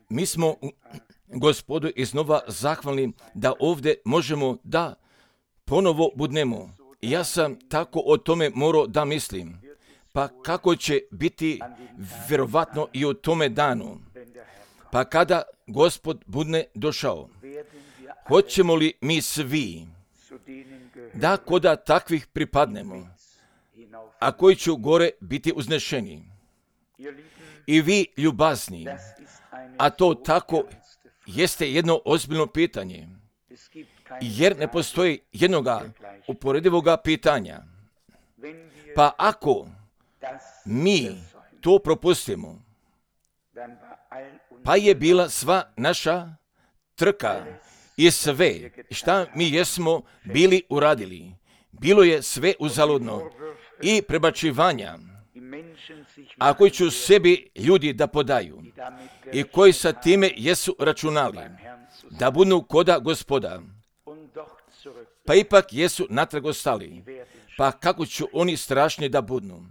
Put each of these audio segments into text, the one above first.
Mi smo Gospodu iznova zahvalni da ovdje možemo da ponovo budnemo. Ja sam tako o tome morao da mislim. Pa kako će biti vjerovatno i u tome danu? Pa kada Gospod budne došao, hoćemo li mi svi da koda takvih pripadnemo, a koji će gore biti uznešeni? I vi ljubazni, a to tako jeste jedno ozbiljno pitanje, jer ne postoji jednoga uporedivoga pitanja. Pa ako mi to propustimo, pa je bila sva naša trka i sve šta mi jesmo bili uradili. Bilo je sve uzaludno i prebačivanja, a koji ću sebi ljudi da podaju i koji sa time jesu računali da budu koda Gospoda, pa ipak jesu natrag ostali. Pa kako ću oni strašni da budnu?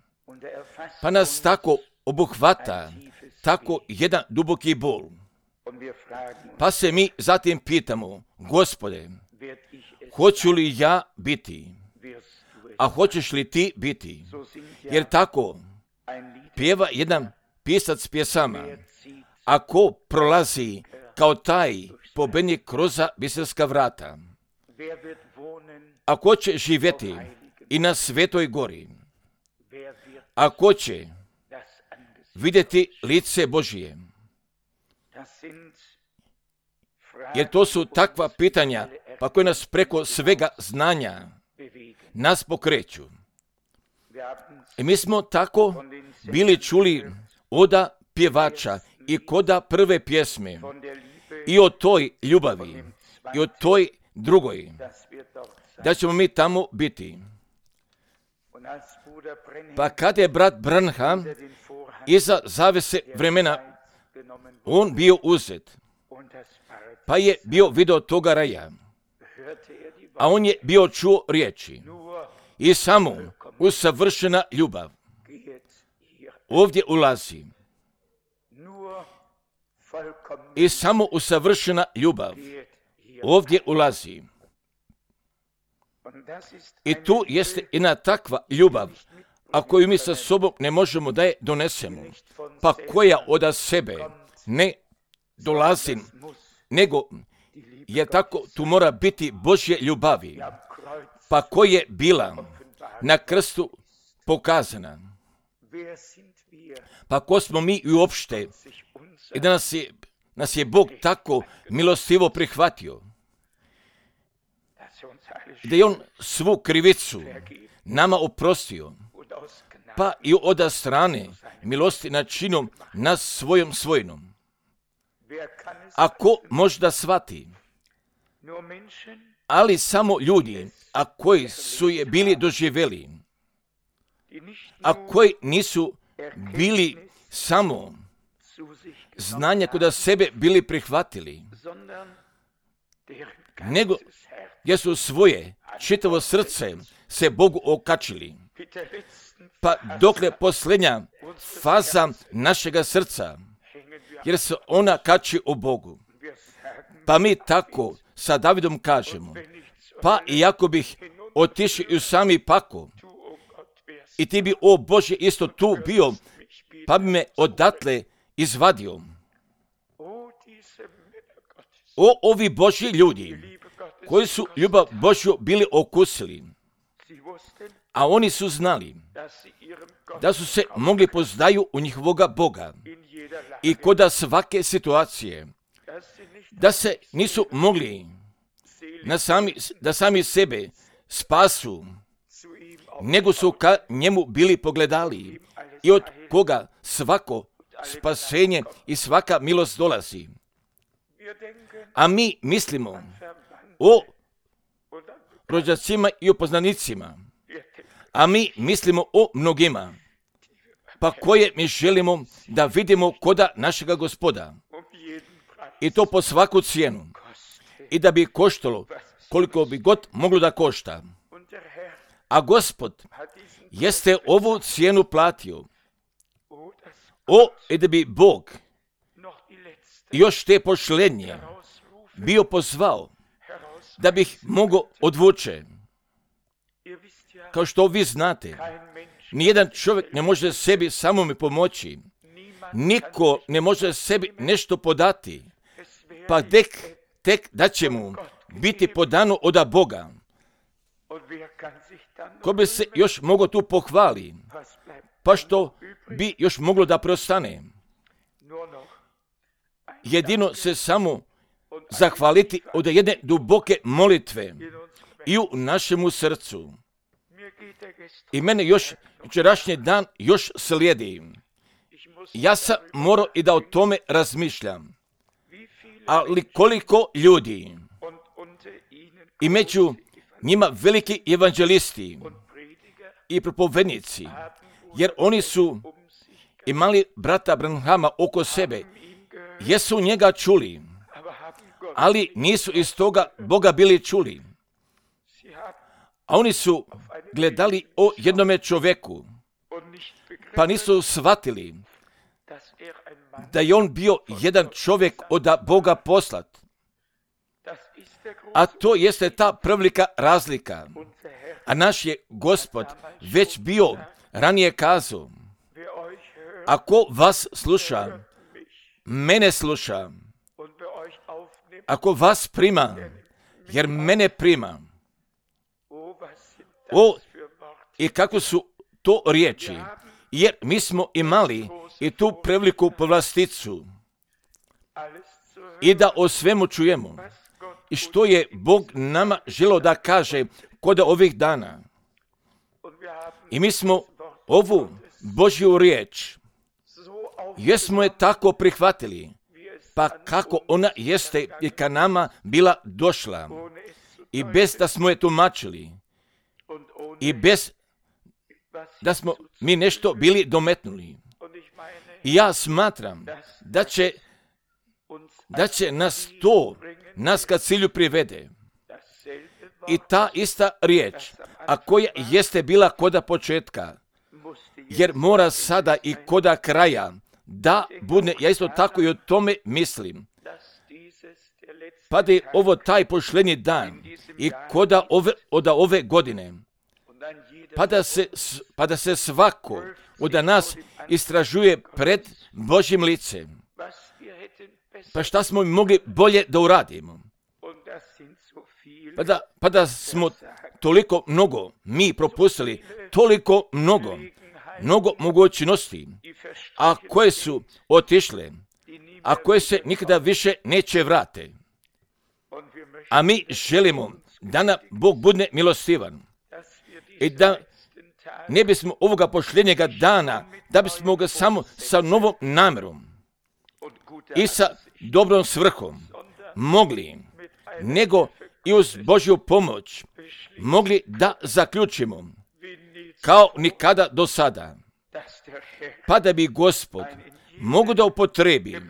Pa nas tako obuhvata, tako jedan duboki bol. Pa se mi zatim pitamo, Gospode, hoću li ja biti? A hoćeš li ti biti? Jer tako pjeva jedan pisac pjesama. Ako prolazi kao taj pobednik kroz biserska vrata, ako će živjeti i na Svetoj gori, ako će vidjeti lice Božije, jer to su takva pitanja pa koje nas preko svega znanja nas pokreću. I mi smo tako bili čuli oda pjevača i koda prve pjesme i o toj ljubavi i o toj drugoj, da ćemo mi tamo biti. Pa kad je brat Branham iza zavese vremena on bio uzet, pa je bio video toga raja, a on je bio čuo riječi i samo usavršena ljubav ovdje ulazi. I samo usavršena ljubav ovdje ulazi. I tu jeste jedna takva ljubav, a koju mi sa sobom ne možemo da je donesemo, pa koja od sebe ne dolazi, nego je tako, tu mora biti Božje ljubavi, pa koja je bila na krstu pokazana. Pa ko smo mi i uopšte, i da nas je Bog tako milostivo prihvatio, da je on svu krivicu nama oprostio, pa i od strane milosti načinom nas svojom svojinom. Ako možda shvati, ali samo ljudi, a koji su je bili doživjeli, a koji nisu bili samo znanja kod sebe bili prihvatili, nego jer su svoje čitavo srce se Bogu okačili. Pa dokle posljednja faza našega srca, jer se ona kači u Bogu. Pa mi tako sa Davidom kažemo, pa iako bih otišao i u sami pakao, i ti bi, o Bože, isto tu bio, pa bi me odatle izvadio. O, ovi Božji ljudi, koji su ljubav Božju bili okusili, a oni su znali da su se mogli poznaju u njihovoga Boga i koda svake situacije, da se nisu mogli da sami sebe spasu, nego su ka njemu bili pogledali i od koga svako spasenje i svaka milost dolazi. A mi mislimo o rođacima i o poznanicima, a mi mislimo o mnogima, pa koje mi želimo da vidimo koda našega Gospoda. I to po svaku cijenu. I da bi koštalo koliko bi god moglo da košta. A Gospod jeste ovu cijenu platio. I da bi Bog još te pošlenje bio pozvao da bih mogao odvuče. Kao što vi znate, nijedan čovjek ne može sebi samome pomoći. Niko ne može sebi nešto podati. Pa tek da će mu biti podano od Boga. Ko bi se još mogao tu pohvali? Pa što bi još moglo da preostane? Jedino se samo zahvaliti od jedne duboke molitve i u našemu srcu. I mene još jučerašnji dan još slijedi. Ja sam morao i da o tome razmišljam. Ali koliko ljudi i među njima veliki evanđelisti i propovednici, jer oni su imali brata Branhama oko sebe, jesu njega čuli, ali nisu iz toga Boga bili čuli. A oni su gledali o jednome čovjeku, pa nisu shvatili da je on bio jedan čovjek od Boga poslat. A to jeste ta prevelika razlika. A naš je Gospod već bio ranije kazao, ako vas sluša, mene sluša. Ako vas prima, jer mene prima. I kako su to riječi, jer mi smo imali i tu preveliku povlasticu i da o svemu čujemo i što je Bog nama želio da kaže kod ovih dana. I mi smo ovu Božju riječ, jesmo je tako prihvatili, pa kako ona jeste i ka nama bila došla i bez da smo je tumačili i bez da smo mi nešto bili dometnuli. I ja smatram da će nas ka cilju privede. I ta ista riječ, a koja jeste bila koda početka, jer mora sada i koda kraja da bude, ja isto tako i o tome mislim, pa da je ovo taj pošlenji dan i koda od ove godine, pa da se svako od nas istražuje pred Božjim licem. Pa šta smo mogli bolje da uradimo? Pa da smo toliko mnogo mi propustili, toliko mnogo mogućnosti, a koje su otišle, a koje se nikada više neće vrate. A mi želimo da nam Bog bude milostivan i da ne bismo ovoga pošljenjega dana, da bismo ga samo sa novom namjerom i sa dobrom svrhom mogli, nego i uz Božju pomoć mogli da zaključimo kao nikada do sada, pa da bi Gospod mogu da upotrebi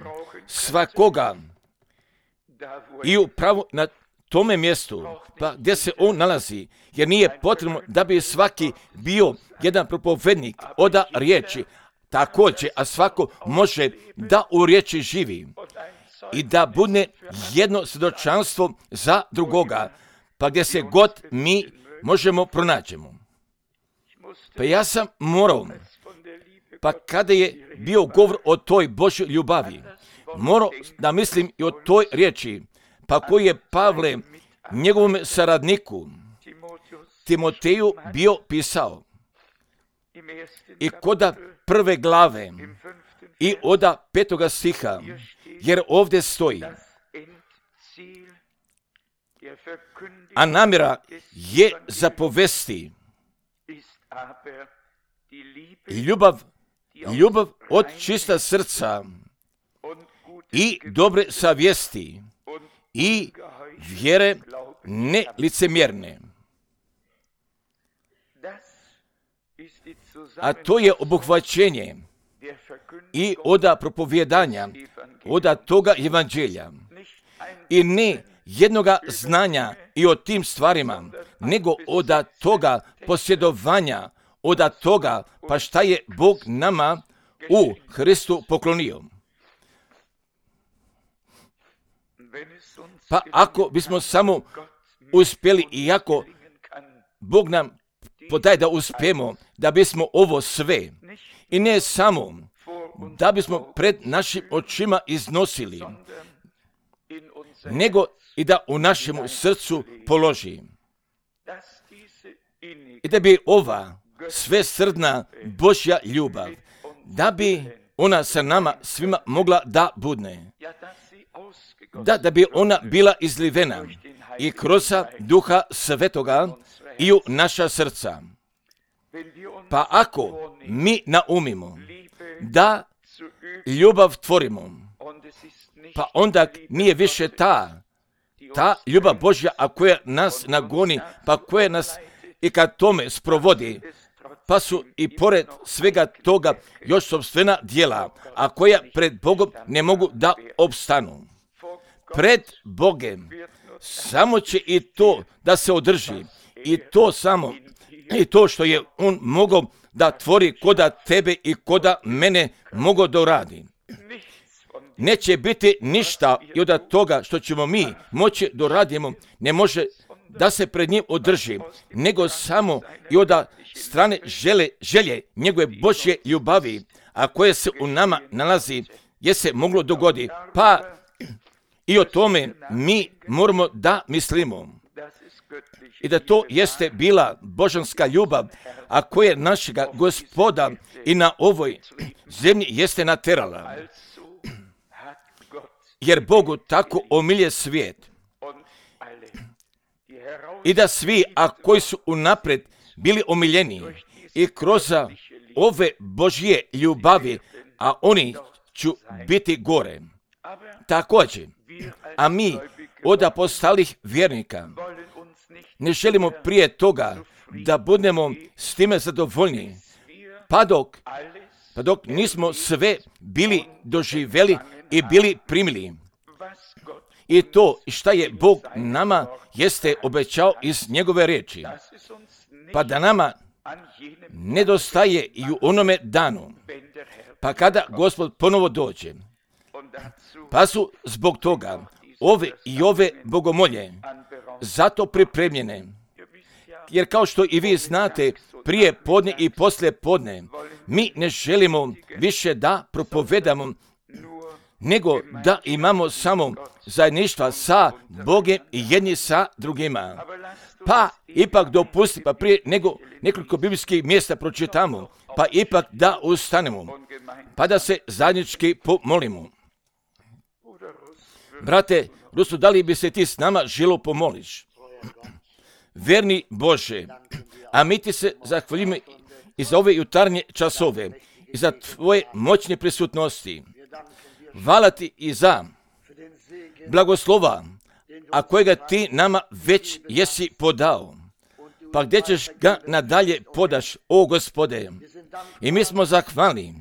svakoga i upravo na tome mjestu, pa gdje se on nalazi, jer nije potrebno da bi svaki bio jedan propovednik od riječi, također, a svako može da u riječi živi i da bude jedno svjedočanstvo za drugoga, pa gdje se god mi možemo pronađemo. Pa ja sam morao, pa kada je bio govor o toj Božjoj ljubavi, morao da mislim i o toj riječi, pa koji je Pavle njegovom saradniku Timoteju bio pisao. I koda 1. glave i od 5. stiha, jer ovdje stoji, a namjera je zapovesti ljubav od čista srca i dobre savjesti i vjere nelicemjerne. A to je obuhvaćenje i od propovjedanja, od toga evanđelja. I ne jednoga znanja i o tim stvarima, nego od toga posjedovanja, od toga pa šta je Bog nama u Hristu poklonio. Pa ako bismo samo uspjeli, iako Bog nam podaje da uspijemo, da bismo ovo sve, i ne samo da bismo pred našim očima iznosili, nego i da u našem srcu položi. I da bi ova svesrdna Božja ljubav, da bi ona sa nama svima mogla da budne. Da bi ona bila izlivena i kroz Duha Svetoga i u naša srca. Pa ako mi naumimo da ljubav tvorimo, pa onda nije više ta ljubav Božja, a koja nas nagoni, pa koja nas i kad tome sprovodi, pa su i pored svega toga još sopstvena djela, a koja pred Bogom ne mogu da opstanu. Pred Bogem samo će i to da se održi, i to samo, i to što je On mogao da tvori koda tebe i koda mene mogao da uradi. Neće biti ništa i od toga što ćemo mi moći da radimo, ne može da se pred njim održi, nego samo i od strane želje njegove Božje ljubavi, a koje se u nama nalazi, je se moglo dogoditi. Pa i o tome mi moramo da mislimo. I da to jeste bila božanska ljubav, a koja našega Gospoda i na ovoj zemlji jeste naterala. Jer Bogu tako omilje svijet. I da svi, a koji su unaprijed bili omiljeni i kroz ove Božje ljubavi, a oni će biti gore. Također, a mi od apostolih vjernika ne želimo prije toga da budemo s time zadovoljni, pa dok nismo sve bili doživjeli i bili primili. I to šta je Bog nama jeste obećao iz njegove riječi, pa da nama nedostaje i u onome danu, pa kada Gospod ponovo dođe. Pa su zbog toga ove bogomolje zato pripremljene. Jer kao što i vi znate, prije podne i poslije podne, mi ne želimo više da propovedamo, nego da imamo samo zajedništva sa Bogom i jedni sa drugima. Pa ipak dopusti, pa prije nego nekoliko biblijskih mjesta pročitamo, pa ipak da ustanemo, pa da se zajednički pomolimo. Brate Rusu, da li bi se ti s nama želo pomoliš? Verni Bože, a mi ti se zahvaljujemo i za ove jutarnje časove, i za tvoje moćne prisutnosti. Hvala ti i za blagoslova, a kojega ti nama već jesi podao. Pa gdje ćeš ga nadalje podaš, o Gospode? I mi smo zahvalni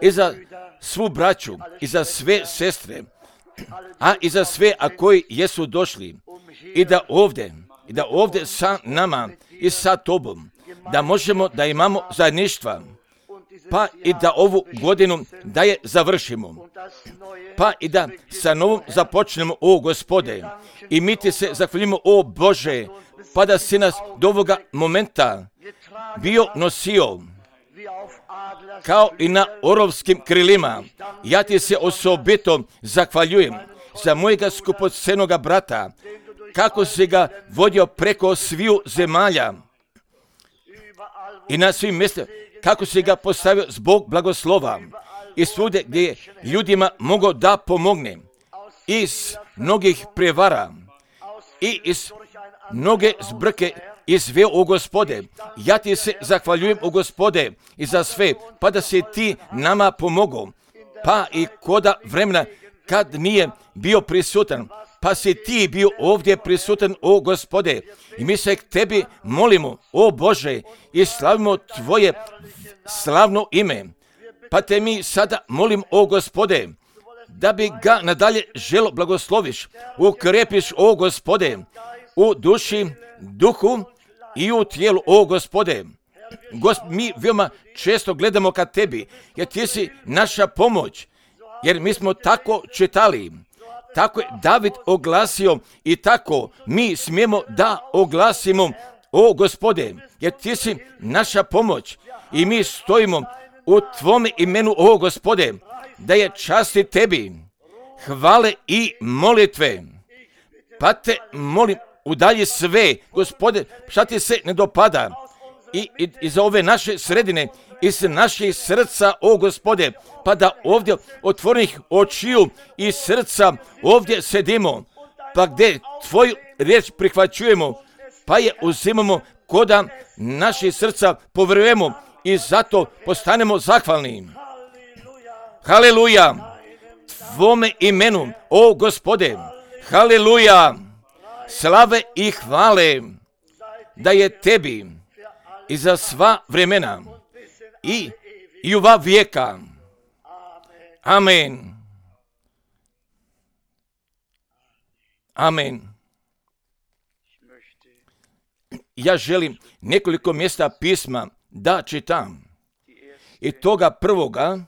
i za svu braću, i za sve sestre, a i za sve, a koji jesu došli, i da ovdje sa nama i sa tobom, da možemo da imamo zajedništva, pa i da ovu godinu da je završimo, pa i da sa novom započnemo, o Gospode. I mi ti se zahvaljujemo, o Bože, pa da si nas do ovoga momenta bio nosio kao i na orovskim krilima. Ja ti se osobito zahvaljujem za mojega skupocenoga brata, kako si ga vodio preko sviju zemalja i na svim mjestima, kako si ga postavio zbog blagoslova i svude gdje je ljudima mogao da pomogne, iz mnogih prevara i iz mnoge zbrke izveo, o Gospode. Ja ti se zahvaljujem, o Gospode, i za sve, pa da si ti nama pomogao, pa i koda vremena kad nije bio prisutan, pa si ti bio ovdje prisutan, o Gospode. I mi se k tebi molimo, o Bože, i slavimo tvoje slavno ime. Pa te mi sada molim, o Gospode, da bi ga nadalje želo blagosloviš, ukrepiš, o Gospode, u duši, duhu i u tijelu, o Gospode. Mi veoma često gledamo ka tebi, jer ti si naša pomoć, jer mi smo tako čitali. Tako je David oglasio i tako mi smijemo da oglasimo, o Gospode, jer ti si naša pomoć i mi stojimo u tvome imenu, o Gospode, da je časti tebi, hvale i molitve. Pa te molim, udalji sve, Gospode, šta ti se ne dopada i za ove naše sredine, iz naših srca, o Gospode, pa da ovdje otvorenih očiju i srca ovdje sedimo, pa gdje tvoju riječ prihvaćujemo, pa je uzimamo koda naših srca povjerujemo i zato postanemo zahvalni. Haleluja! Tvome imenu, o Gospode, haleluja! Slave i hvale da je tebi i za sva vremena i ova vijeka. Amen. Amen. Ja želim nekoliko mjesta pisma da čitam. I toga prvoga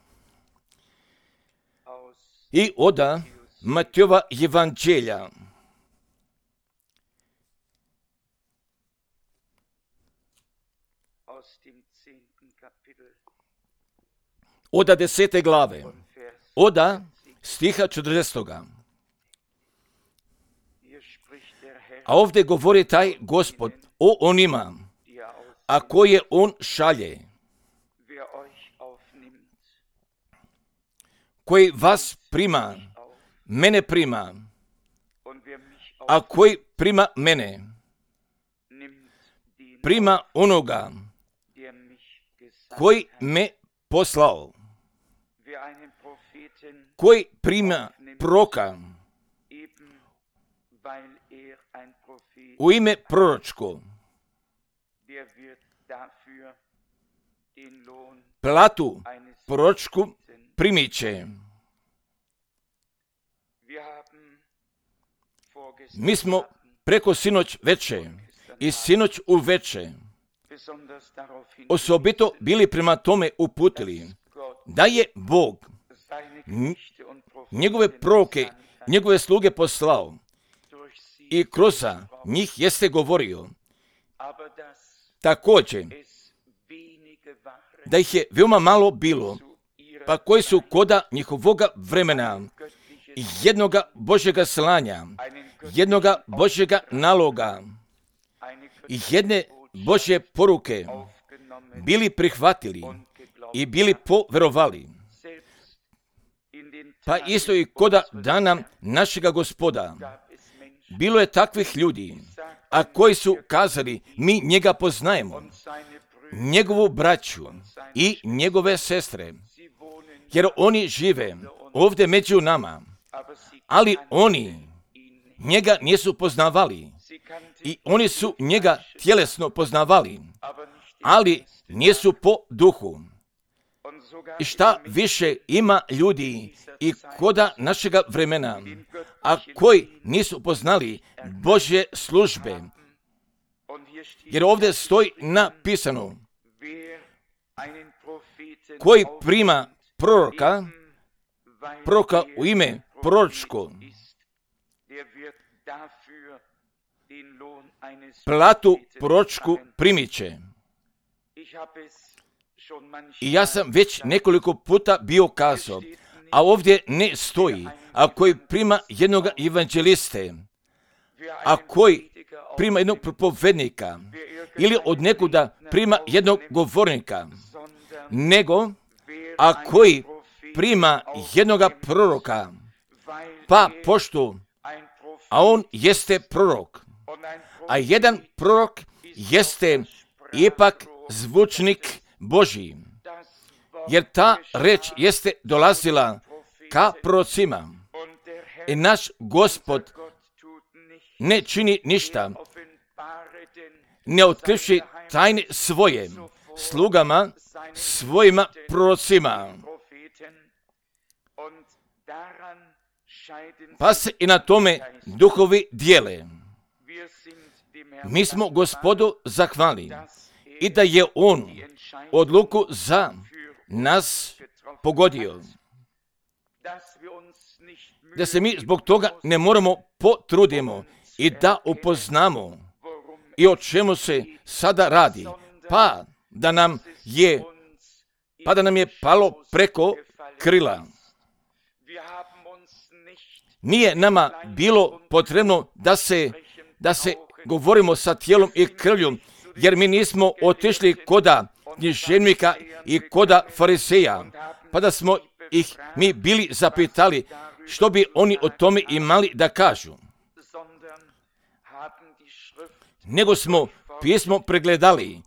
i od Matejova evanđelja. Od 10. glave, od stiha 40. A ovdje govori taj Gospod o onima, a koje on šalje, koji vas prima, mene prima, a koji prima mene, prima onoga koji me poslao, koji prima proroka u ime proročko, platu proročku primit će. Mi smo preko sinoć veče i sinoć u veče osobito bili prema tome uputili da je Bog njegove proroke, njegove sluge poslao i kroz njih jeste govorio. Također, da ih je veoma malo bilo, pa koji su koda njihovoga vremena, jednoga Božjega slanja, jednoga Božjega naloga i jedne Božje poruke bili prihvatili i bili poverovali. Pa isto i koda dana našega Gospoda. Bilo je takvih ljudi, a koji su kazali, mi njega poznajemo, njegovu braću i njegove sestre, jer oni žive ovdje među nama, ali oni njega nisu poznavali i oni su njega tjelesno poznavali, ali nisu po duhu. I šta više ima ljudi i koda našega vremena, a koji nisu poznali Božje službe. Jer ovdje stoji napisano, koji prima proroka u ime proročko, platu proročku primit će. I ja sam već nekoliko puta bio kazao, a ovdje ne stoji, a koji prima jednog evanđeliste, a koji prima jednog propovednika, ili od nekuda prima jednog govornika, nego, a koji prima jednoga proroka, pa pošto, a on jeste prorok, a jedan prorok jeste ipak zvučnik Božji, jer ta reč jeste dolazila ka prorocima i naš Gospod ne čini ništa, ne otkrivši tajne svoje slugama, svojima prorocima. Pa se i na tome duhovi dijele. Mi smo Gospodu zahvali i da je On odluku za nas pogodio, da se mi zbog toga ne moramo potrudimo i da upoznamo i o čemu se sada radi, pa da nam je palo preko krila. Nije nama bilo potrebno da se govorimo sa tijelom i krvlju, jer mi nismo otišli koda književnika i koda fariseja, pa da smo ih mi bili zapitali što bi oni o tome imali da kažu. Nego smo pismo pregledali,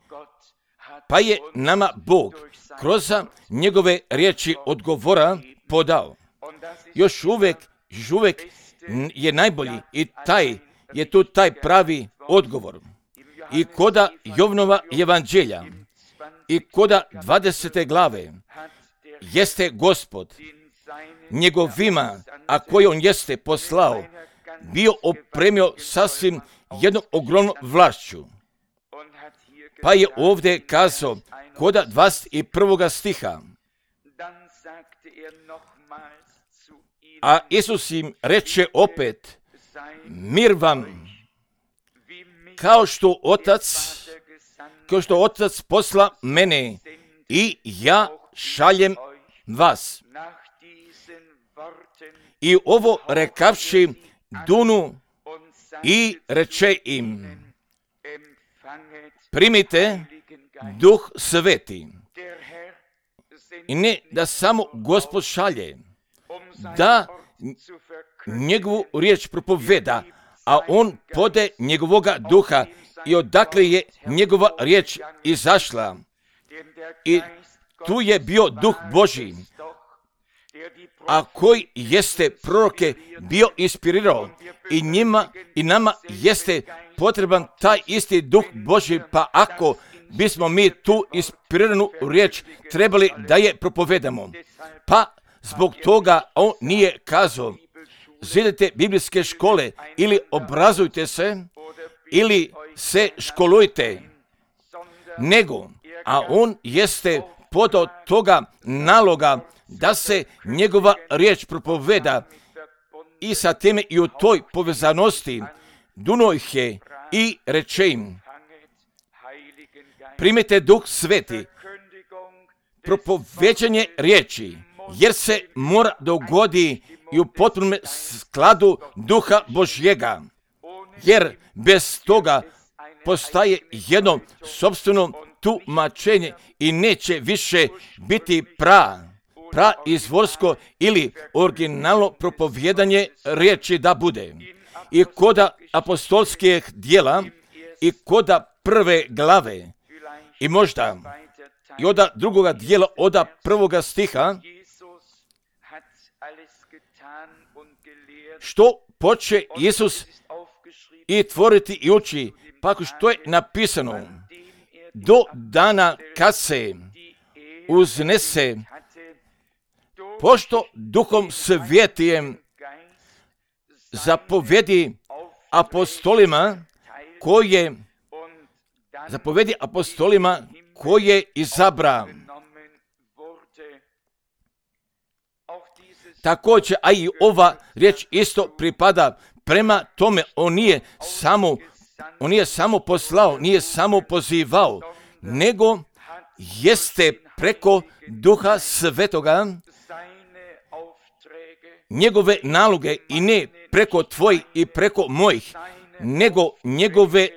pa je nama Bog kroz njegove riječi odgovora podao. Još uvijek je najbolji i taj pravi odgovor. I koda Jovnova evanđelja i koda 20. glave jeste Gospod njegovima, a koje on jeste poslao, bio opremio sasvim jednom ogromnom vlašću. Pa je ovdje kazao koda 21. stiha, a Isus im reče opet, mir vam, kao što Otac posla mene i ja šaljem vas. I ovo rekavši dunu i reče im, primite Duh Sveti. I ne da samo Gospod šalje, da njegovu riječ propoveda, a on pode njegovoga duha i odakle je njegova riječ izašla. I tu je bio Duh Božji, a koji jeste proroke bio inspirirao i nama jeste potreban taj isti Duh Božji, pa ako bismo mi tu inspiriranu riječ trebali da je propovedamo, pa zbog toga on nije kazao zidite biblijske škole ili obrazujte se ili se školujte, nego, a on jeste podao toga naloga da se njegova riječ propoveda i sa time i u toj povezanosti duno ih je i reče im, primite Duh Sveti, propoveđanje riječi, jer se mora dogodi i u potpunom skladu Duha Božjega, jer bez toga postaje jedno sopstveno tumačenje i neće više biti izvorsko ili originalno propovjedanje riječi da bude. I koda apostolskih djela i koda 1. glave i možda i od drugoga dijela, od 1. stiha, što poče Isus i tvoriti i uči, pa što je napisano, do dana kad se uznese, pošto Duhom Svetijem zapovedi apostolima koje izabra. Također, a i ova riječ isto pripada prema tome, on nije samo poslao, nije samo pozivao, nego jeste preko Duha Svetoga njegove naloge i ne preko tvojih i preko mojih, nego njegove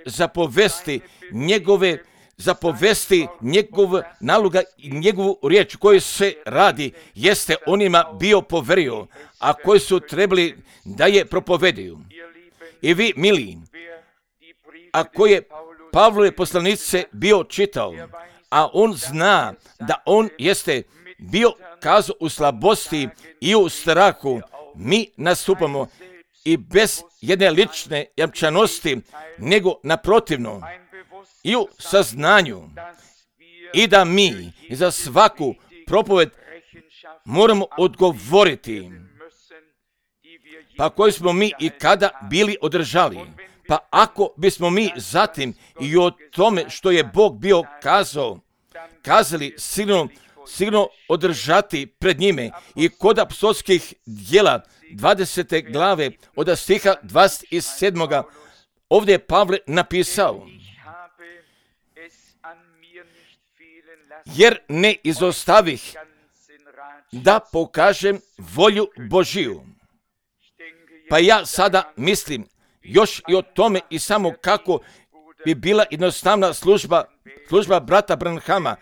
zapovesti, njegov naloga i njegovu riječ koju se radi, jeste onima bio poverio, a koji su trebali da je propovedaju. I vi, mili, a koji je Pavlove poslanice bio čitao, a on zna da on jeste bio kazao u slabosti i u strahu, mi nastupamo i bez jedne lične jamčanosti, nego naprotivno i u saznanju i da mi za svaku propoved moramo odgovoriti, pa koji smo mi i kada bili održali. Pa ako bismo mi zatim i o tome što je Bog bio kazali, sigurno sigurno održati pred njime. I kod apostolskih djela 20. glave od stiha 27. ovdje je Pavle napisao: jer ne izostavih da pokažem volju Božiju. Pa ja sada mislim još i o tome i samo kako bi bila jednostavna služba brata Branhama,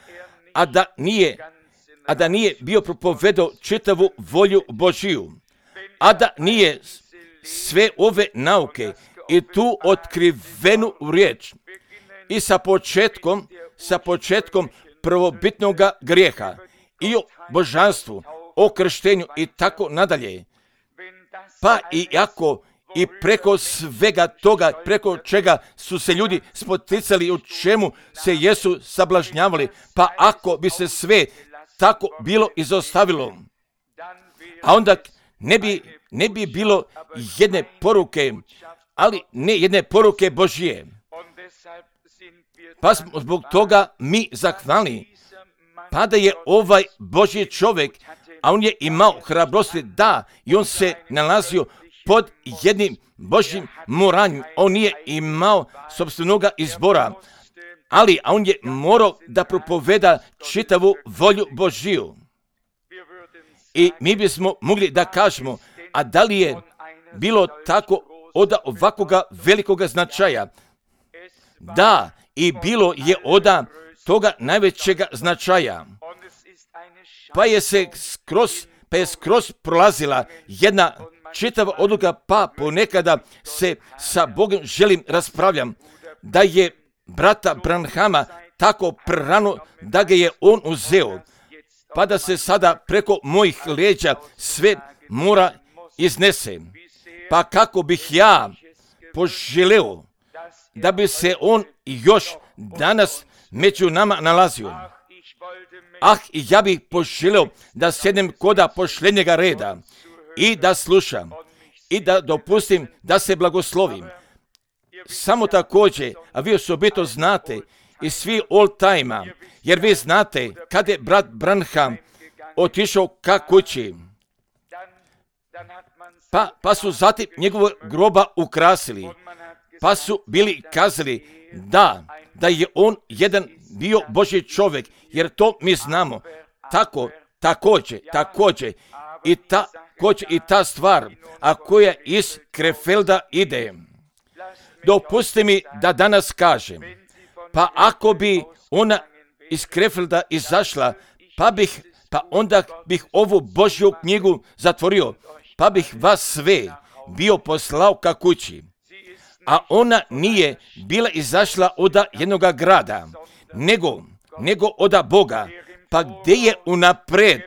a da nije bio propovedao čitavu volju Božiju, a da nije sve ove nauke i tu otkrivenu riječ i sa početkom prvobitnoga grijeha i o božanstvu, o krštenju i tako nadalje. Pa i ako i preko svega toga, preko čega su se ljudi spoticali, u čemu se jesu sablažnjavali, pa ako bi se sve tako bilo izostavilo, a onda ne bi bilo jedne poruke, ali ne jedne poruke Božije. Pa smo zbog toga mi zahvalni. Pa da je ovaj Božji čovjek, a on je imao hrabrosti da, i on se nalazio pod jednim Božjim moranjem. On nije imao sopstvenoga izbora, a on je morao da propoveda čitavu volju Božiju. I mi bismo mogli da kažemo, a da li je bilo tako od ovakvoga velikoga značaja? Da, i bilo je od toga najvećega značaja. Pa je skroz prolazila jedna čitava odluka, pa ponekada se sa Bogom želim raspravljam, da je brata Branhama tako prerano da ga je on uzeo, pa da se sada preko mojih leđa sve mora iznese. Pa kako bih ja poželeo da bi se on još danas među nama nalazio. I ja bih poželeo da sjednem koda pošljenjega reda i da slušam i da dopustim da se blagoslovim. Samo također, a vi osobito znate i svi all time, jer vi znate kad je brat Branham otišao ka kući, pa su zatim njegovog groba ukrasili, pa su bili kazali da je on jedan bio Božji čovjek, jer to mi znamo. Također i ta stvar, a koja iz Krefelda ide. Dopusti mi da danas kažem, pa ako bi ona iz Krefelda izašla, pa onda bih ovu Božju knjigu zatvorio, pa bih vas sve bio poslao ka kući. A ona nije bila izašla od jednoga grada, nego od Boga, pa gdje je unapred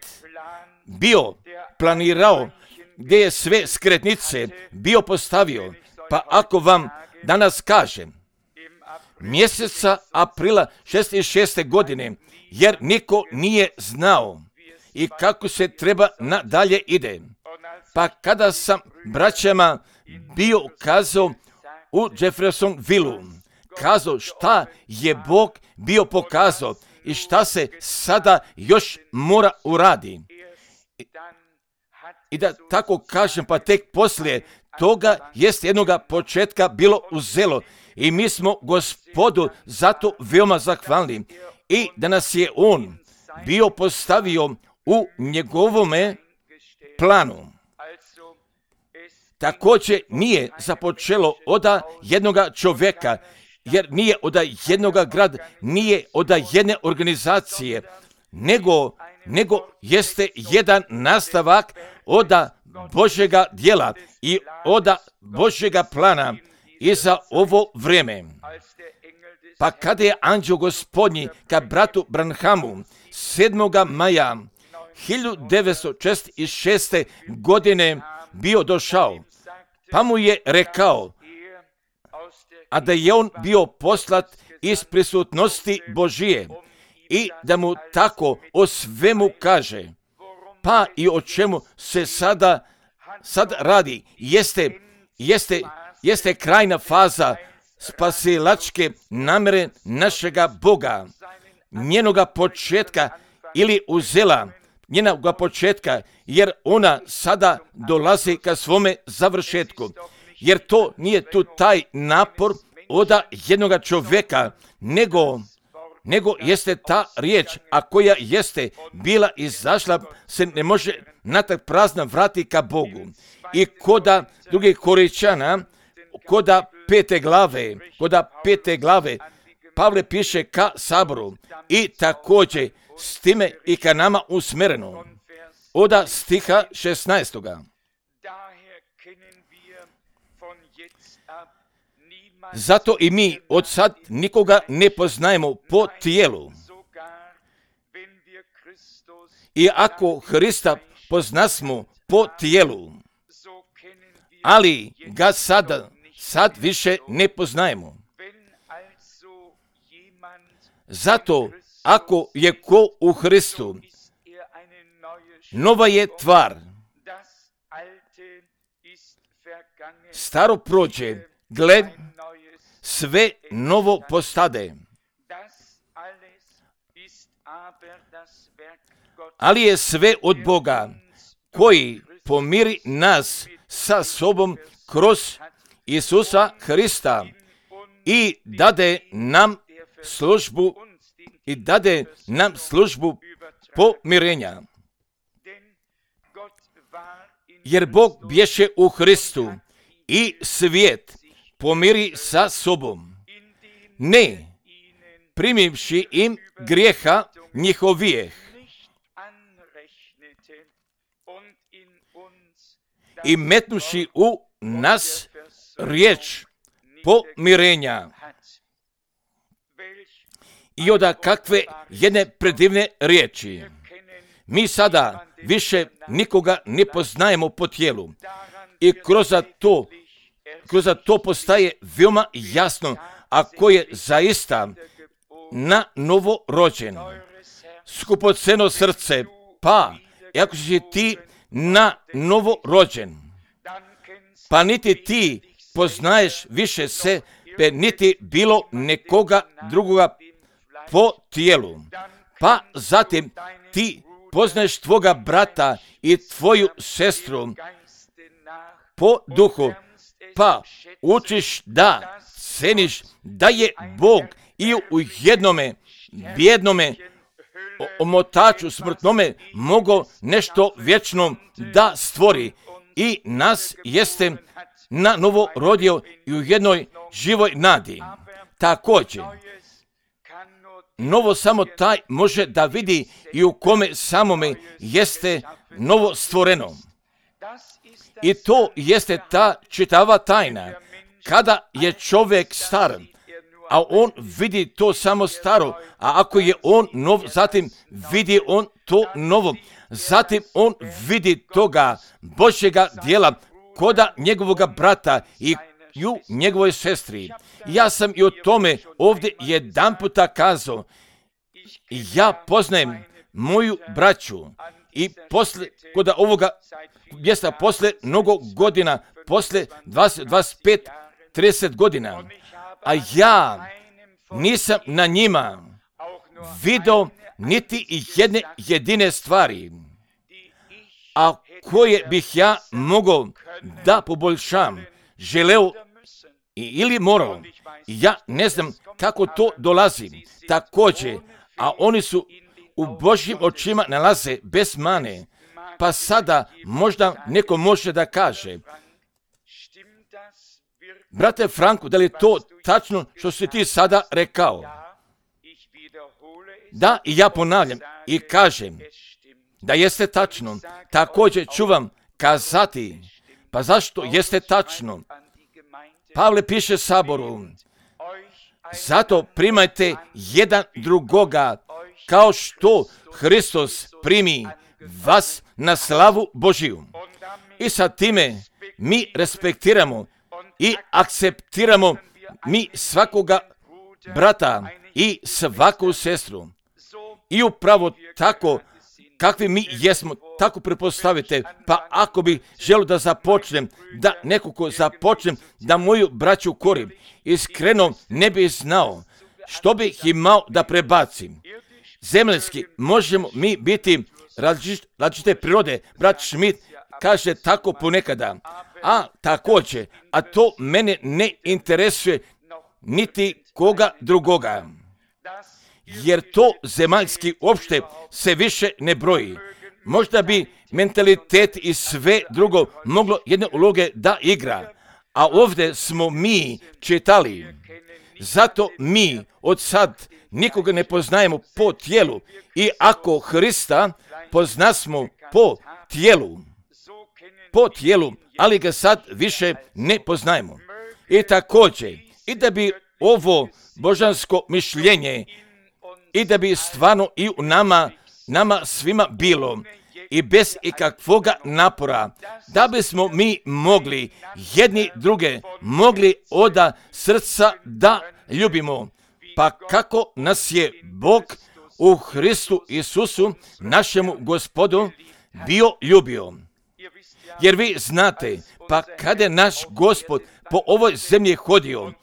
bio planirao, gdje je sve skretnice bio postavio. Pa ako vam danas kažem, mjeseca aprila 66. godine, jer niko nije znao i kako se treba nadalje ide. Pa kada sam braćama bio kazao u Jeffersonville, kazao šta je Bog bio pokazao i šta se sada još mora uradi. I da tako kažem, pa tek poslije toga jest jednoga početka bilo uzelo i mi smo Gospodu zato veoma zahvalni i da nas je on bio postavio u njegovome planu. Također nije započelo od jednoga čovjeka, jer nije od jednoga grada, nije od jedne organizacije, nego jeste jedan nastavak od Božjega djela i od Božjega plana i za ovo vrijeme. Pa kada je anđeo Gospodnji ka bratu Branhamu 7. maja 1946. godine bio došao, pa mu je rekao, a da je on bio poslat iz prisutnosti Božije i da mu tako o svemu kaže, pa i o čemu se sad radi, jeste krajna faza spasilačke namere našega Boga, njenoga početka ili uzela njenog početka, jer ona sada dolazi ka svome završetku. Jer to nije tu taj napor od jednoga čovjeka, nego jeste ta riječ, a koja jeste bila izašla, se ne može natak prazna vrati ka Bogu. I koda drugih Korinćana, koda pete glave, Pavle piše ka saboru i također s time i ka nama usmjereno. Od stiha 16. Zato i mi od sad nikoga ne poznajemo po tijelu. I ako Hrista poznasmo po tijelu, ali ga sad više ne poznajemo. Zato ako je ko u Hristu, nova je tvar. Staro prođe, gle, sve novo postade. Ali je sve od Boga, koji pomiri nas sa sobom kroz Isusa Hrista i dade nam službu pomirenja. Jer Bog bješe u Hristu i svijet pomiri sa sobom, ne primivši im grijeha njihovijeh i metnuši u nas riječ pomirenja. I od kakve jedne predivne riječi. Mi sada više nikoga ne poznajemo po tijelu. I kroz to postaje veoma jasno, ako je zaista na novo rođen. Skupoceno srce, pa ako si ti na novo rođen, pa niti ti poznaješ više sebe, niti bilo nekoga drugoga po tijelu. Pa zatim ti poznaješ tvoga brata i tvoju sestru po duhu, pa učiš da ceniš da je Bog i u jednome bijednome omotaču smrtnome mogao nešto vječno da stvori i nas jeste na novo rodio i u jednoj živoj nadi. Također, novo samo taj može da vidi i u kome samome jeste novo stvoreno. I to jeste ta čitava tajna. Kada je čovjek star, a on vidi to samo staro, a ako je on nov, zatim vidi on to novo. Zatim on vidi toga Božjega dijela koda njegovoga brata i u njegovoj sestri. Ja sam i o tome ovdje jedan puta kazao. Ja poznajem moju braću i kod ovoga mjesta posle mnogo godina, posle 20, 25, 30 godina, a ja nisam na njima vidio niti jedne jedine stvari, a koje bih ja mogao da poboljšam, želeo ili morao. Ja ne znam kako to dolazi. Također, a oni su u Božjim očima nalaze bez mane. Pa sada možda neko može da kaže, brate Franko, da li je to tačno što si ti sada rekao? Da, i ja ponavljam i kažem da jeste tačno. Također ću vam kazati, pa zašto jeste tačno? Pavle piše saboru, zato primajte jedan drugoga, kao što Hristos primi vas na slavu Božiju. I sa time mi respektiramo i akceptiramo mi svakoga brata i svaku sestru. I upravo tako kakvi mi jesmo, tako prepostavite. Pa ako bi želio da započnem, da nekako započnem, da moju braću korim, iskreno ne bih znao što bih imao da prebacim. zemaljski, možemo mi biti različite prirode. Brat Schmidt kaže tako ponekada, a također, a to mene ne interesuje niti koga drugoga, jer to zemaljski uopšte se više ne broji. Možda bi mentalitet i sve drugo moglo jedne uloge da igra, a ovdje smo mi čitali. Zato mi od sad nikoga ne poznajemo po tijelu, i ako Hrista poznasmo po tijelu, ali ga sad više ne poznajemo. I također, i da bi ovo božansko mišljenje, i da bi stvarno i u nama svima bilo, i bez ikakvoga napora, da bismo mi mogli jedni druge, mogli od srca da ljubimo. Pa kako nas je Bog u Hristu Isusu, našemu Gospodu, bio ljubio. Jer vi znate, pa kada je naš Gospod po ovoj zemlji hodio,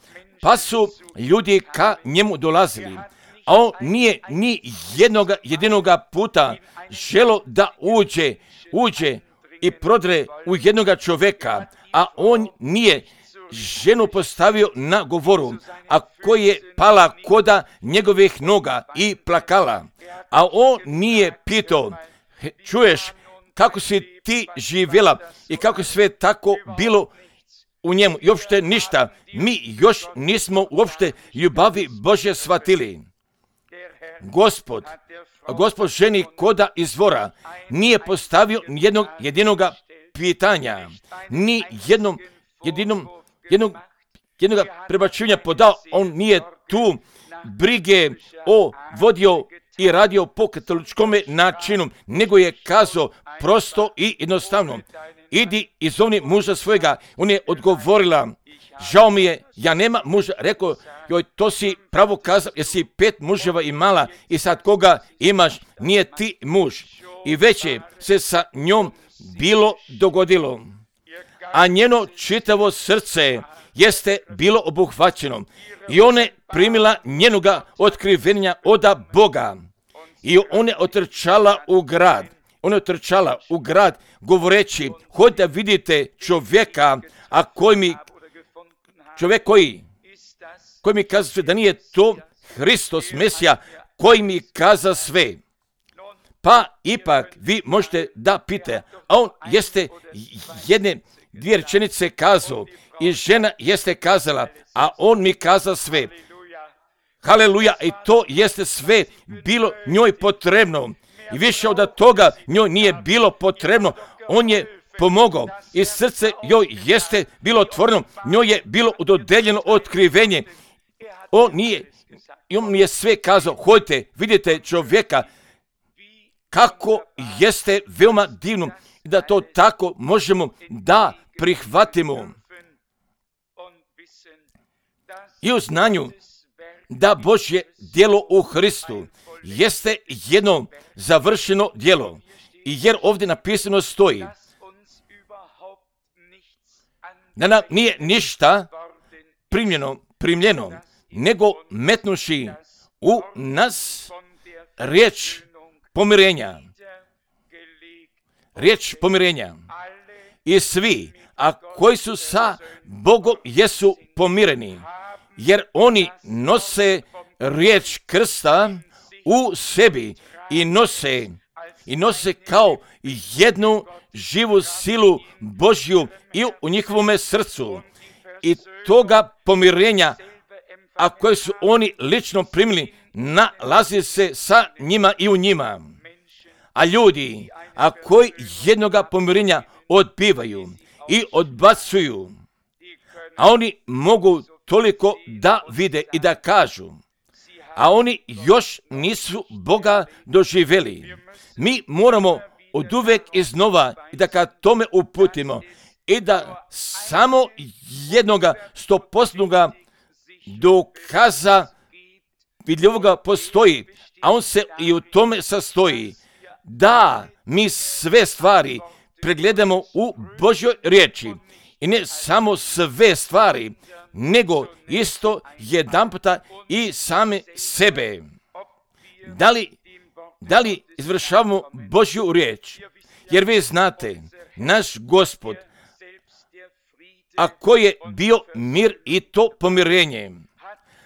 pa su ljudi ka njemu dolazili, a on nije ni jedinoga puta želo da uđe i prodre u jednoga čovjeka, a on nije ženu postavio na govoru, a koji je pala koda njegovih noga i plakala, a on nije pitao, čuješ kako si ti živjela i kako sve tako bilo u njemu, i uopšte ništa. Mi još nismo uopšte ljubavi Božje shvatili. Gospod ženi koda izvora nije postavio jednog jedinoga pitanja, ni jednoga prebačivanja podao. On nije tu brige vodio i radio po katoličkom načinu, nego je kazao prosto i jednostavno, idi i zovni muža svojega. On je odgovorila, žao mi je, ja nema muža. Rekao, joj, to si pravo kazao, jer si 5 muževa imala i sad koga imaš, nije ti muž. I već je se sa njom bilo dogodilo, a njeno čitavo srce jeste bilo obuhvaćeno i ona je primila njenoga otkrivenja od Boga. I ona je otrčala u grad, govoreći, hod da vidite čovjeka, a čovjek koji mi kaza sve, da nije to Hristos Mesija, koji mi kaza sve. Pa ipak vi možete da pite, a on jeste dvije rečenice kazao i žena jeste kazala, a on mi kaza sve. Haleluja, i to jeste sve bilo njoj potrebno. I više od toga njoj nije bilo potrebno. On je pomogao i srce joj jeste bilo otvoreno. Njoj je bilo dodeljeno otkrivenje. On mi je sve kazao, hodite, vidite čovjeka, kako jeste veoma divno i da to tako možemo da prihvatimo. I u znanju da Božje djelo u Hristu jeste jedno završeno djelo. I jer ovdje napisano stoji da nam nije ništa primljeno, nego metnuši u nas riječ pomirenja. I svi, a koji su sa Bogom, jesu pomireni, jer oni nose riječ krsta u sebi i nose kao jednu živu silu Božju i u njihovome srcu. I toga pomirenja, a koje su oni lično primili, nalazi se sa njima i u njima. A ljudi, a koji jednoga pomirenja odbivaju i odbacuju, a oni mogu toliko da vide i da kažu, a oni još nisu Boga doživjeli. Mi moramo od uvek iznova i da ka tome uputimo i da samo jednoga 100% dokaza vidljivoga postoji, a on se i u tome sastoji, da mi sve stvari pregledamo u Božjoj riječi. I ne samo sve stvari, nego isto jedanputa i same sebe. Da li Da li izvršavamo Božju riječ? Jer vi znate, naš Gospod, ako je bio mir i to pomirenje,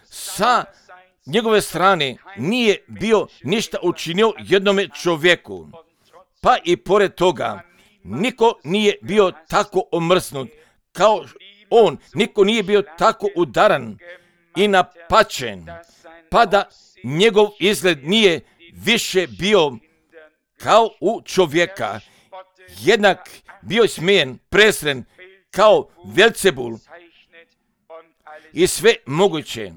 sa njegove strane nije bio ništa učinio jednome čovjeku. Pa i pored toga, niko nije bio tako omrsnut kao on, niko nije bio tako udaran i napačen, pa da njegov izgled nije više bio kao u čovjeka, jednak bio smijen, presren kao Velcebul i sve moguće.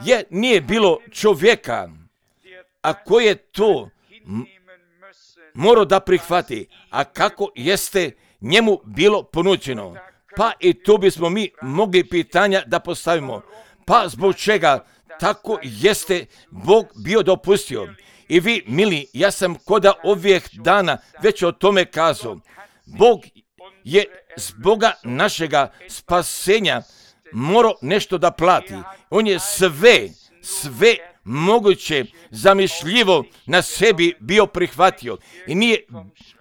Jer nije bilo čovjeka, a koji je to morao da prihvati, a kako jeste njemu bilo ponuđeno. Pa i tu bismo mi mogli pitanja da postavimo. Pa zbog čega tako jeste Bog bio dopustio? I vi, mili, ja sam koda ovih dana već o tome kazao. Bog je zboga našega spasenja morao nešto da plati. On je sve moguće zamišljivo na sebi bio prihvatio. I nije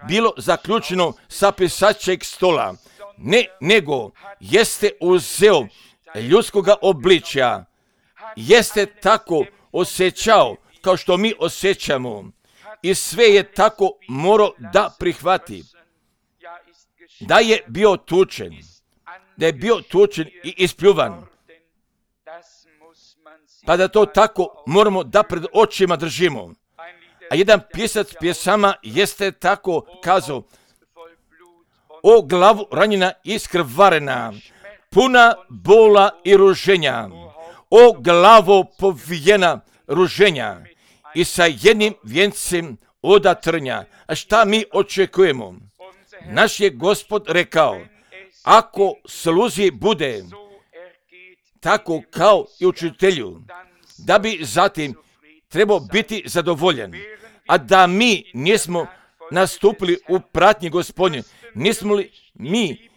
bilo zaključeno sa pisačeg stola. Ne, nego jeste uzeo ljudskoga obličja. Jeste tako osjećao kao što mi osjećamo. I sve je tako morao da prihvati. Da je bio tučen. Da je bio tučen i ispljuvan. Pa da to tako moramo da pred očima držimo. A jedan pisac pjesama jeste tako kazao: o glavu ranjena i iskrvarena, puna bola i ruženja, o glavo povijena ruženja i sa jednim vjencem oda trnja. A šta mi očekujemo? Naš je Gospod rekao, ako sluzi bude tako kao i učitelju, da bi zatim trebao biti zadovoljen, a da mi nismo nastupili u pratnji Gospodnje, nismo li mi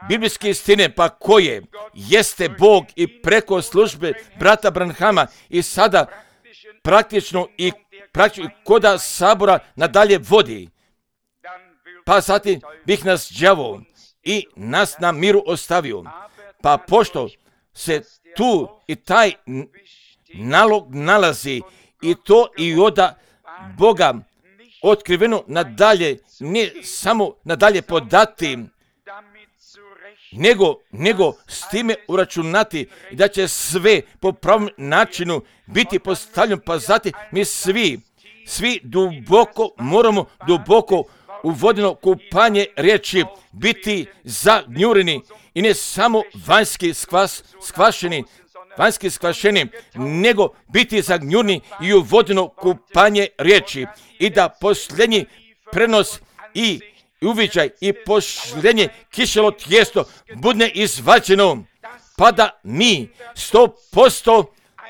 biblijske istine, pa koje jeste Bog i preko službe brata Branhama i sada praktično i koda sabora nadalje vodi, pa zatim bih nas đavo i nas na miru ostavio. Pa pošto se tu i taj nalog nalazi i to i oda Boga otkriveno nadalje, ne samo nadalje podati, nego s time uračunati da će sve po pravom načinu biti postavljeno, pa zatim mi svi duboko moramo u vodeno kupanje riječi biti zagnjureni i ne samo vanjski skvašeni, nego biti zagnjureni i u vodeno kupanje riječi i da posljednji prenos i uviđaj i posljednje kišelo tijesto bude izvađeno, pa da mi 100%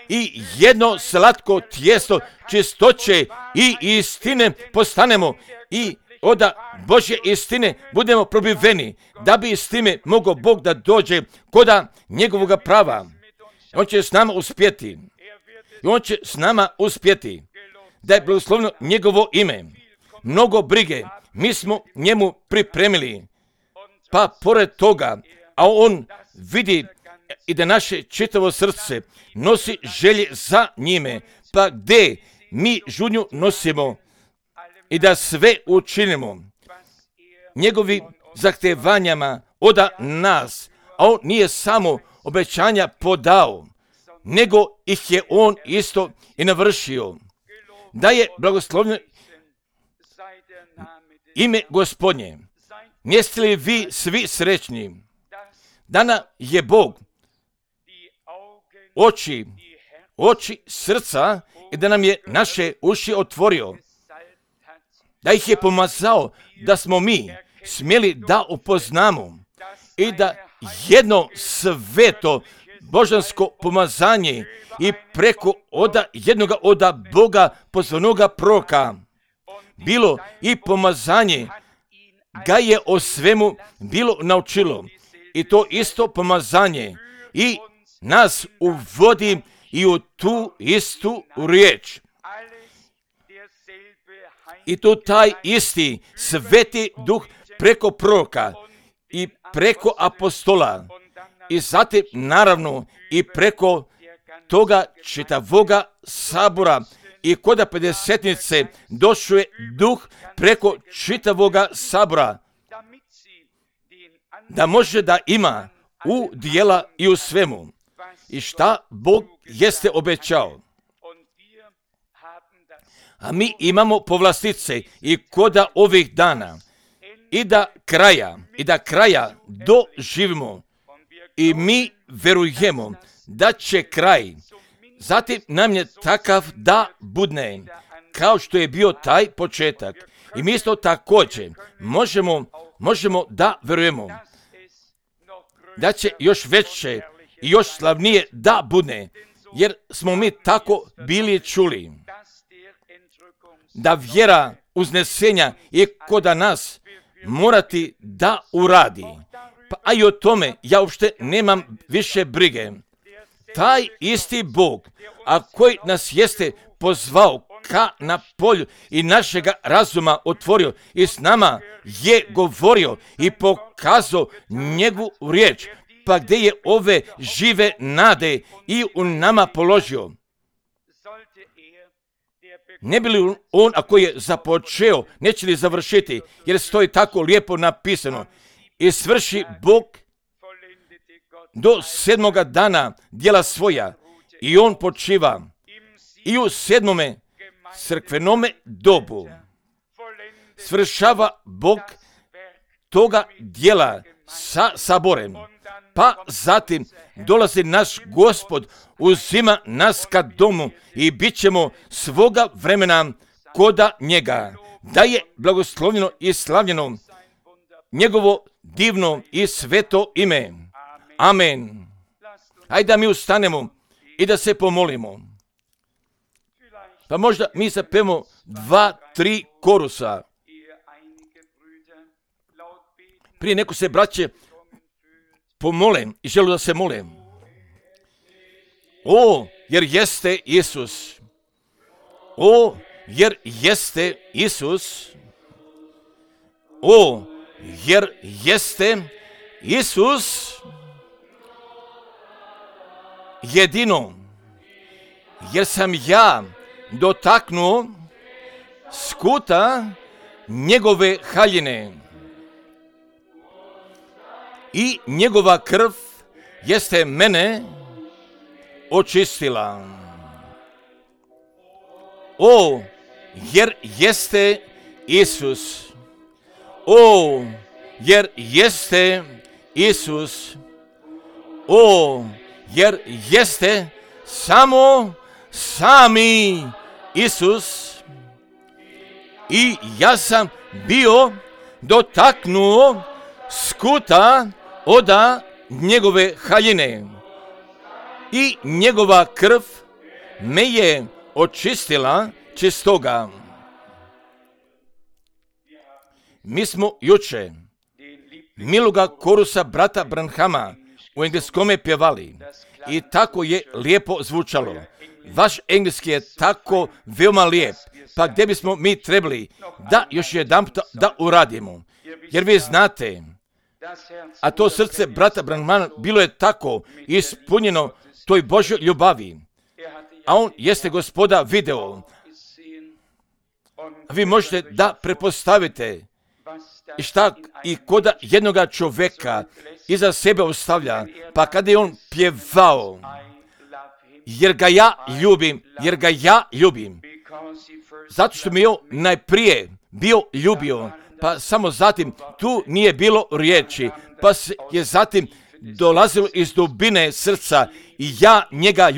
i jedno slatko tijesto čistoće i istine postanemo i od Božje istine budemo probiveni, da bi s time mogao Bog da dođe koda njegovoga prava. On će s nama uspjeti. I on će s nama uspjeti. Da je blagoslovno njegovo ime. Mnogo brige mi smo njemu pripremili. Pa pored toga, a on vidi i da naše čitavo srce nosi želje za njime. Pa gdje mi žudnju nosimo i da sve učinimo njegovi zahtevanjama od nas, a on nije samo obećanja podao, nego ih je on isto i navršio. Da je blagoslovno ime Gospodnje. Jeste li vi svi srećni? Dana je Bog oči srca i da nam je naše uši otvorio, da ih je pomazao, da smo mi smjeli da upoznamo i da jedno sveto božansko pomazanje i preko jednoga od Boga pozvanoga proroka bilo i pomazanje ga je o svemu bilo naučilo i to isto pomazanje i nas uvodi i u tu istu riječ. I tu taj isti Sveti Duh preko proroka i preko apostola i zatim naravno i preko toga čitavoga sabora i kod pedesetnice došao je Duh preko čitavoga sabora da može da ima u dijela i u svemu i šta Bog jeste obećao. A mi imamo povlastice i koda ovih dana i da kraja doživimo i mi verujemo da će kraj zatim nam je takav da budne kao što je bio taj početak. I mi isto također možemo da verujemo da će još veće i još slavnije da budne, jer smo mi tako bili čuli da vjera uznesenja je kod nas morati da uradi. Pa a i o tome ja uopšte nemam više brige. Taj isti Bog, a koji nas jeste pozvao ka na polju i našega razuma otvorio i s nama je govorio i pokazao njegovu riječ, pa gdje je ove žive nade i u nama položio. Ne bi li on, ako je započeo, neće li završiti, jer stoji tako lijepo napisano, i svrši Bog do 7. dana djela svoja i on počiva i u 7. crkvenome dobu svršava Bog toga djela sa saborem. Pa zatim dolazi naš Gospod, uzima nas ka domu i bit ćemo svoga vremena koda njega. Da je blagoslovljeno i slavljeno njegovo divno i sveto ime. Amen. Hajde da mi ustanemo i da se pomolimo. Pa možda mi zapevamo 2-3 korusa. Prije neko se braće pomole i želu da se mole. O, jer jeste Isus. O, jer jeste Isus. O, jer jeste Isus. Jedino, jer sam ja dotaknuo skuta njegove haljine i njegova krv jeste mene očistila. O, jer jeste Isus. O, jer jeste Isus. O, jer jeste samo sami Isus. I ja sam bio dotaknuo skuta oda njegove haljine i njegova krv me je očistila čistoga. Mi smo juče miloga korusa brata Branhama u engleskome pjevali i tako je lijepo zvučalo. Vaš engleski je tako veoma lijep, pa gdje bismo mi trebali da još jedanput da uradimo. Jer vi znate, a to srce brata Branhama bilo je tako ispunjeno toj Božjoj ljubavi, a on jeste Gospoda video. Vi možete da prepostavite šta i koda jednoga čovjeka iza sebe ostavlja, pa kada je on pjevao, jer ga ja ljubim, zato što mi je on najprije bio ljubio, pa samo zatim tu nije bilo riječi, pa je zatim dolazilo iz dubine srca i ja njega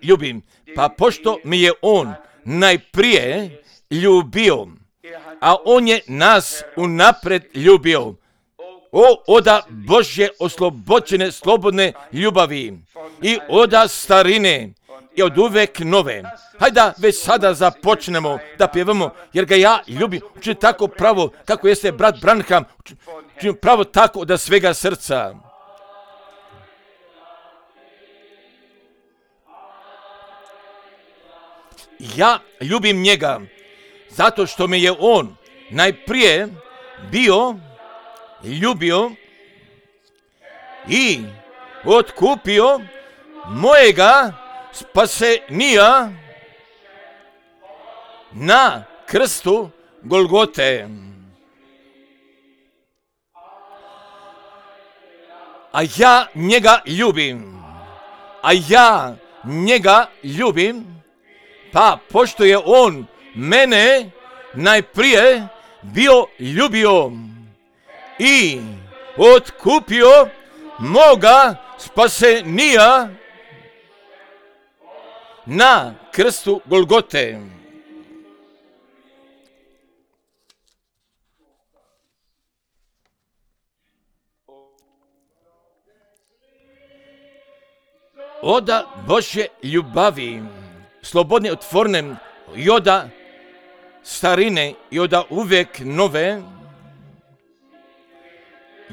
ljubim, pa pošto mi je on najprije ljubio, a on je nas unapred ljubio. O, oda Božje oslobođene, slobodne ljubavi i oda starine i od uvek nove. Hajde već sada započnemo da pjevamo, jer ga ja ljubim. Učin tako pravo kako jeste brat Branham, učin pravo tako da svega srca. Ja ljubim njega, zato što me je on najprije bio ljubio i otkupio mojega spasenija na krstu Golgote. A ja njega ljubim, pa pošto je on mene najprije bio ljubio i otkupio moga spasenija na krstu Golgote. Oda Božje ljubavi, slobodne, otvorene, i oda starine, i oda uvijek nove,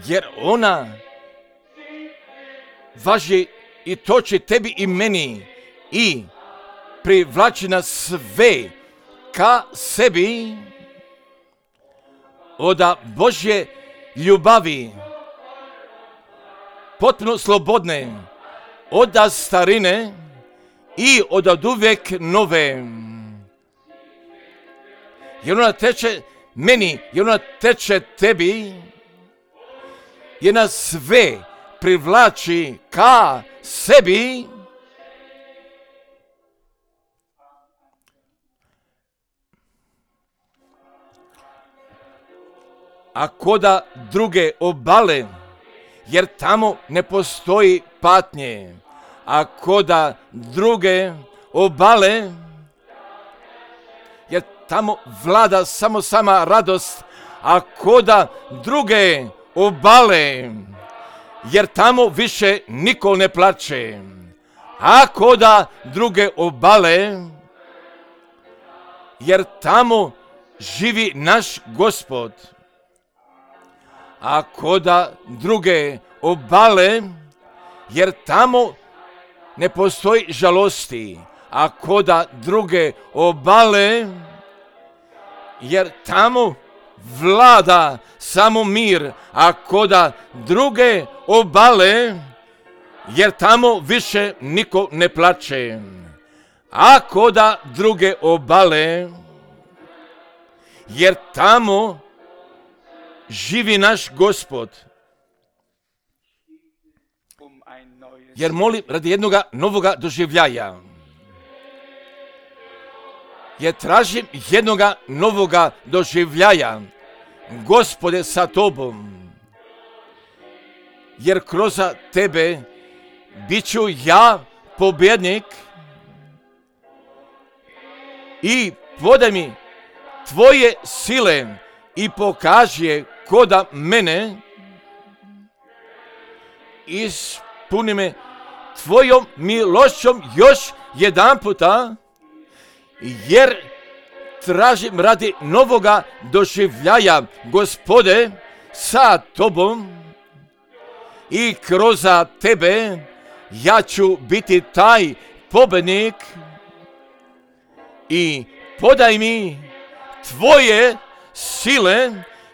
jer ona važi i toči tebi i meni i privlači nas sve ka sebi. Oda Božje ljubavi, potpuno slobodne, oda starine i od uvijek nove. Jer ona teče meni, jer ona teče tebi, jer nas sve privlači ka sebi. Ako da druge obale, jer tamo ne postoji patnje. Ako da druge obale, jer tamo vlada samo sama radost. Ako da druge obale, jer tamo više niko ne plače. Ako da druge obale, jer tamo živi naš Gospod. Ako da druge obale, jer tamo ne postoji žalosti. Ako da druge obale, jer tamo vlada samo mir. Ako da druge obale, jer tamo više niko ne plače. Ako da druge obale, jer tamo živi naš Gospod. Jer molim radi jednoga novoga doživljaja. Jer tražim jednoga novoga doživljaja. Gospode, sa tobom. Jer kroz tebe bit ću ja pobjednik. I podaj mi tvoje sile i pokaži je koda mene. Ispuni me tvojom milošćom još jedan puta, jer tražim radi novoga doživljaja, Gospode, sa tobom i kroz tebe ja ću biti taj pobjednik. I podaj mi tvoje sile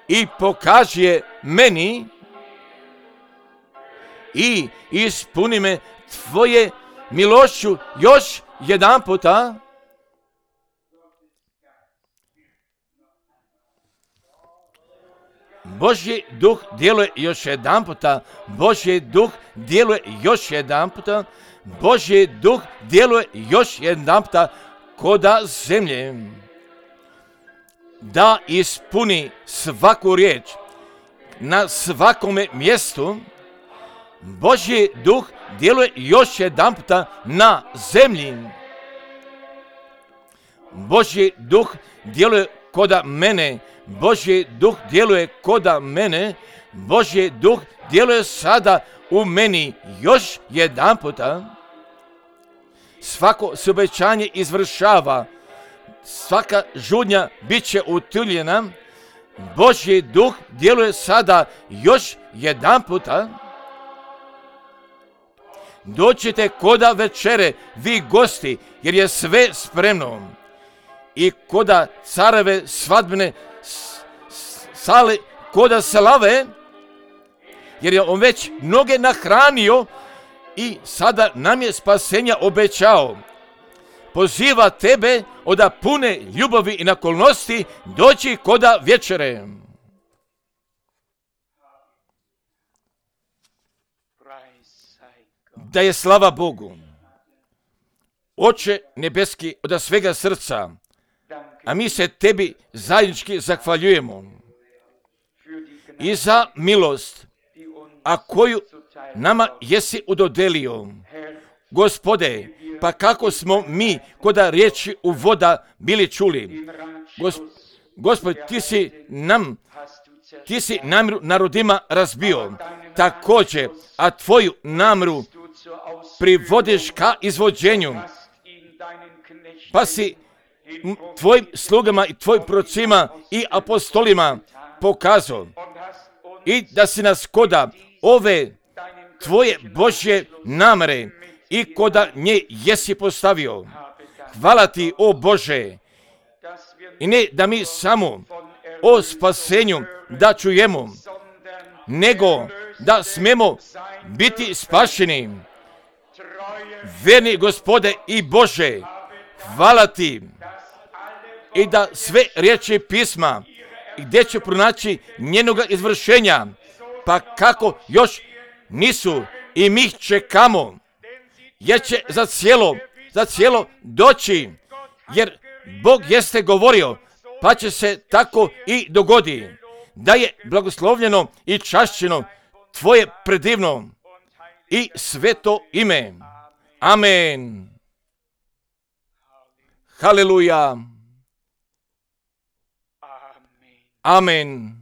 i pokaži je meni i ispuni me tvoje milošću još jedan puta. Božji duh djeluje još jedan puta. Božji duh djeluje još jedan puta. Božji duh djeluje još jedan puta koda zemlje. Da ispuni svaku riječ na svakome mjestu. Božji duh djeluje još jedan puta na zemlji. Božji duh djeluje koda mene. Božji duh djeluje koda mene. Božji duh djeluje sada u meni još jedan puta. Svako se obećanje izvršava. Svaka žudnja bit će utuljena. Božji duh djeluje sada još jedan puta. Dođite koda večere, vi gosti, jer je sve spremno. i koda careve svadbene sale, koda slave, jer je on već mnoge nahranio i sada nam je spasenja obećao. Poziva tebe od pune ljubavi i naklonosti doći koda večere. Da je slava Bogu. Oče nebeski, od svega srca, a mi se tebi zajednički zahvaljujemo i za milost, a koju nama jesi udodelio. Gospode, pa kako smo mi koda riječi u voda bili čuli. Gospod, ti si namjeru narodima razbio, također, a tvoju namjeru privodiš ka izvođenju, pa si tvojim slugama i tvojim prorocima i apostolima pokazao i da si nas koda ove tvoje Božje namere i koda nje jesi postavio. Hvala ti, o Bože, i ne da mi samo o spasenju da čujemo, nego da smemo biti spašeni. Verni Gospode i Bože, hvala ti, i da sve riječi pisma, gdje će pronaći njenoga izvršenja, pa kako još nisu i mi ih čekamo, jer će za cijelo doći, jer Bog jeste govorio, pa će se tako i dogodi, da je blagoslovljeno i čašćeno tvoje predivno i sveto ime. Amen. Haleluja. Amen.